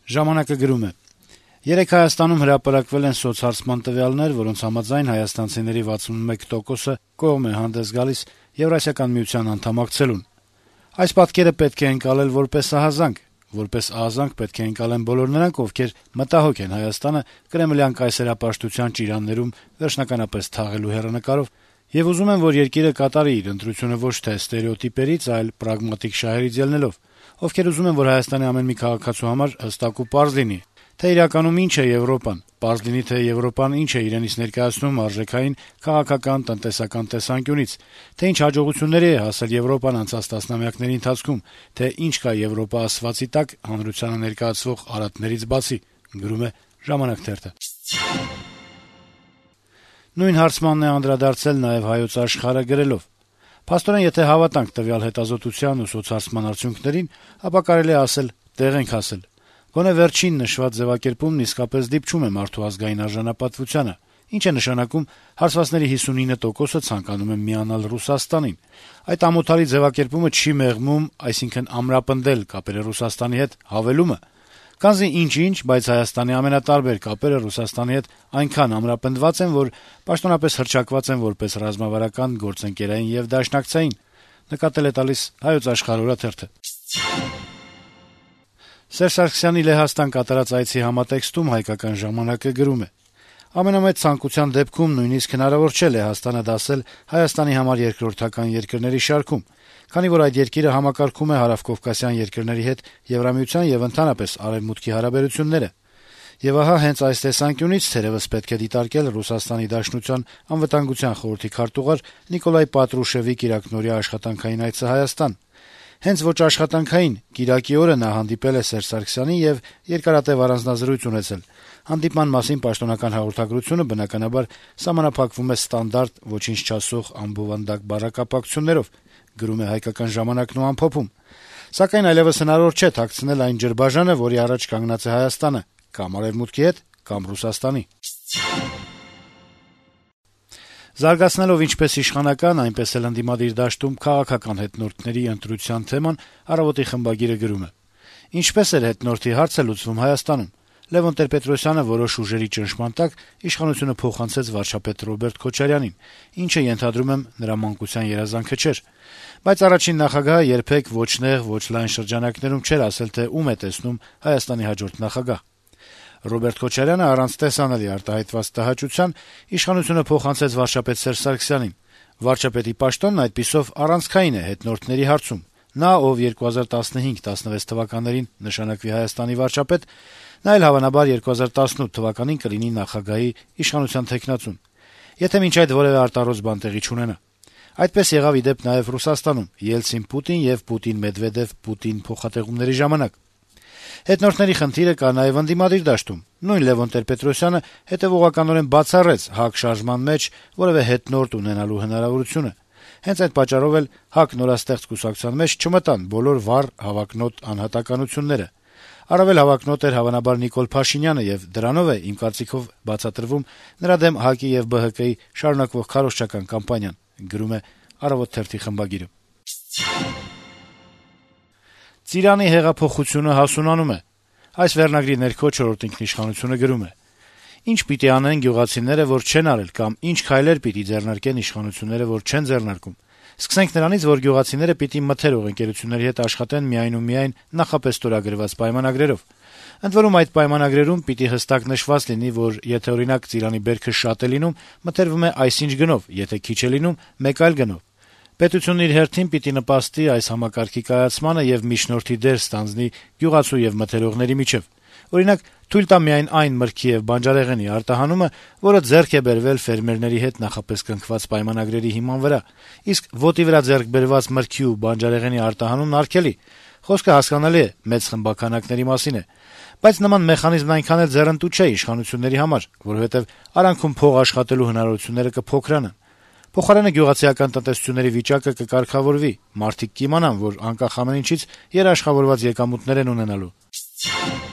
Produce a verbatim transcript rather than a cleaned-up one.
Ժամանակը գրում է. - Երեկ Հայաստանում հրապարակվել են սոցհարցման տվյալներ, որոնց համաձայն հայաստանցիների վաթսունմեկ տոկոսը կողմ է հանդես գալիս Եվրասիական միության անդամակցելուն։ Այս պատկերը պետք է ընկալել որպես ահազանգ, որպես ահազանգ պետք է ընկալեն բոլոր նրանք, ովքեր մտահոգ են Հայաստանը կրեմլյան կայսերապաշտության ճիրաններում վերջնականապես թաղելու հեռանկարով եւ ուզում են, որ երկիրը կատարի իր ընտրությունը ոչ թե ստերեոտիպերից, այլ պրագմատիկ շահերից ելնելով, ովքեր ուզում են, որ Հայաստանի ամեն մի քաղաքացու համար հստակ ու պարզ լինի, թե իրականում ինչ է Եվրոպան, պարզ լինի, թե Եվրոպան ինչ է իրենից ներկայացնում արժեքային, քաղաքական, տնտեսական տեսանկյունից, թե ինչ հաջողությունների է հասել Եվրոպան անցած տասնամյակների ընթացքում, թե ինչ կա Եվրոպա ասվածի տակ հանրությանը ներկայացվող արատներից բացի, գրում է «Ժամանակ» թերթը։ Նույն հարցմանն է անդրադարձել նաեւ «Հայոց Աշխարհ»-ը գրելով. - «Փաստորեն, եթե հավատանք տվյալ հետազոտության ու սոցհարցման արդյունքներին, ապա կարելի է ասել՝ տեղ ենք հասել։ Գոնե վերջին նշված ձեւակերպումն իսկապես դիպչում է մարդու ազգային արժանապատվությանը, ինչ է նշանակում հարցվածների հիսունինը տոկոսը ցանկանում են միանալ Ռուսաստանին։ Այդ ամոթալի ձեւակերպումը չի մեղմում, այսինքն ամրապնդել կապերը Ռուսաստանի հետ հավելումը։ Քանզի ինչ-ինչ, բայց Հայաստանի ամենատարբեր կապերը Ռուսաստանի հետ այնքան ամրապնդված են, որ պաշտոնապես հռչակված են որպես ռազմավարական, գործընկերային եւ դաշնակցային», նկատել է տալիս «Հայոց Աշխարհ» օրաթերթը։ Սերժ Սարգսյանի Լեհաստան կատարած այցի համատեքստում «Հայկական ժամանակ»-ը գրում է. - «Ամենամեծ ցանկության դեպքում նույնիսկ հնարավոր չէ Լեհաստանը դասել Հայաստանի համար երկրորդական երկրների շարքում, քանի որ այդ երկիրը համակարգում է հարավկովկասյան երկրների հետ Եվրամիության եւ ընդհանրապես Արեւմուտքի հարաբերությունները։ Եվ ահա հենց այս տեսանկյունից թերեւս պետք է դիտարկել Ռուսաստանի Դաշնության անվտանգության խորհրդի քարտուղար Նիկոլայ Պատրուշևի կիրակնօրյա աշխատանքային այցը Հայաստան։ Հենց ոչ աշխատանքային կիրակի օրը նա հանդիպել է Սերժ Սարգսյանին եւ երկարատեւ առանձնազրույց ունեցել։ Հանդիպման մասին պաշտոնական հաղորդագրությունը բնականաբար սահմանափակվում է ստանդարտ ոչինչ չասող անբովանդակ բառակապակցություններով, գրում է «Հայկական ժամանակն» ու ամփոփում։ Սակայն այլեւս հնարավոր չէ թաքցնել այն ջրբաժանը, որի առաջ կանգնած է Հայաստանը, կամ Արեւմուտքի հետ, կամ Ռուսաստանի»։ Զարգացնելով ինչպես իշխանական, այնպես էլ ընդդիմադիր դաշտում քաղաքական հետնորդների ընտրության թեման, «Առավոտ»-ի խմբագիրը գրում է. - «Ինչպես էր հետնորդի հարցը լուծվում Հայաստանում։ Լեւոն Տեր-Պետրոսյանը որոշ ուժերի ճնշման տակ իշխանությունը փոխանցեց վարչապետ Ռոբերտ Քոչարյանին, ինչը, ենթադրում եմ, նրա մանկության երազանքը չէր։ Բայց առաջին նախագահը երբեք ոչ նեղ, ոչ լայն շրջանակներում չէր ասել, թե ում է տեսնում Հայաստանի հաջորդ նախագահ։ Ռոբերտ Քոչարյանը առանց տեսանելի արտահայտված տհաճության իշխանությունը փոխանցեց վարչապետ Սերժ Սարգսյանին։ Վարչապետի պաշտոնն այդպիսով առանցքային է հետնորդների հարցում։ Նա, ով երկու հազար տասնհինգ տասնվեց թվականներին նշանակվի Հայաստանի վարչապետ, նա էլ հավանաբար երկու հազար տասնութ թվականին կլինի նախագահի իշխանության թեկնածուն, եթե մինչ այդ որեւէ արտարոց բան տեղի չունենա։ Այդպես եղավ ի դեպ նաեւ Ռուսաստանում Ելցին-Պուտին եւ Պուտին-Մեդվեդեվ-Պուտին փոխատեղումների ժամանակ։ Հետնորդների խնդիրը կա նաեւ ընդդիմադիր դաշտում։ Նույն Լեւոն Տեր-Պետրոսյանը հետեւողականորեն բացառեց ՀԱԿ շարժման մեջ որեւէ հետնորդ ունենալու հնարավորությունը։ Հենց այդ պատճառով էլ ՀԱԿ նորաստեղծ կուսակցության մեջ չմտան բոլոր վառ հավակնոտ անհատականությունները։ Առավել հավակնոտ էր հավանաբար Նիկոլ Փաշինյանը եւ դրանով է, իմ կարծիքով, բացատրվում նրա դեմ ՀԱԿ-ի եւ ԲՀԿ-ի շարունակվող քարոզչական կամպանիան, գրում է «Առավոտ» թերթի խմբագիրը։ Ծիրանի հեղափոխությունը հասունանում է։ Այս վերնագրի ներքո «Չորրորդ ինքնիշխանություն»-ը գրում է. - «Ինչ պիտի անեն գյուղացիները, որ չեն արել, կամ ինչ քայլեր պիտի ձեռնարկեն իշխանությունները, որ չեն ձեռնարկում։ Սկսենք նրանից, որ գյուղացիները պիտի մթերող ընկերությունների հետ աշխատեն միայն ու միայն նախապես ստորագրված պայմանագրերով։ Ընդ որում այդ պայմանագրերում պիտի հստակ նշված լինի, որ եթե օրինակ ծիրանի բերքը շատ է լինում, մթերվում է այսինչ գնով, եթե քիչ է լինում, մեկ այլ գնով։ Պետությունն իր հերթին պիտի նպաստի այս համակարգի կայացմանը եւ միջնորդի դեր ստանձնի գյուղացու եւ մթերողների միջեւ։ Օրինակ, թույլ տա միայն այն մրգի եւ բանջարեղենի արտահանումը, որը ձեռք է բերվել ֆերմերների հետ նախապես կնքված պայմանագրերի հիման վրա, իսկ ոտի վրա ձեռք բերված մրգի ու բանջարեղենի արտահանումն արգելի։ Խոսքը հասկանալի է, մեծ խմբականակների մասին է։ Բայց նման մեխանիզմն այնքան էլ ձեռնտու չէ իշխանությունների համար, որովհետեւ արանքում փող աշխատելու հնարավորությունները կփոքրանան։ Փոխարենը գյուղացիական տնտեսությունների վիճակը կկարգավորվի, մարդիկ կիմանան, որ անկախ ամեն ինչից երաշխավորված եկամուտներ են ունենալու»։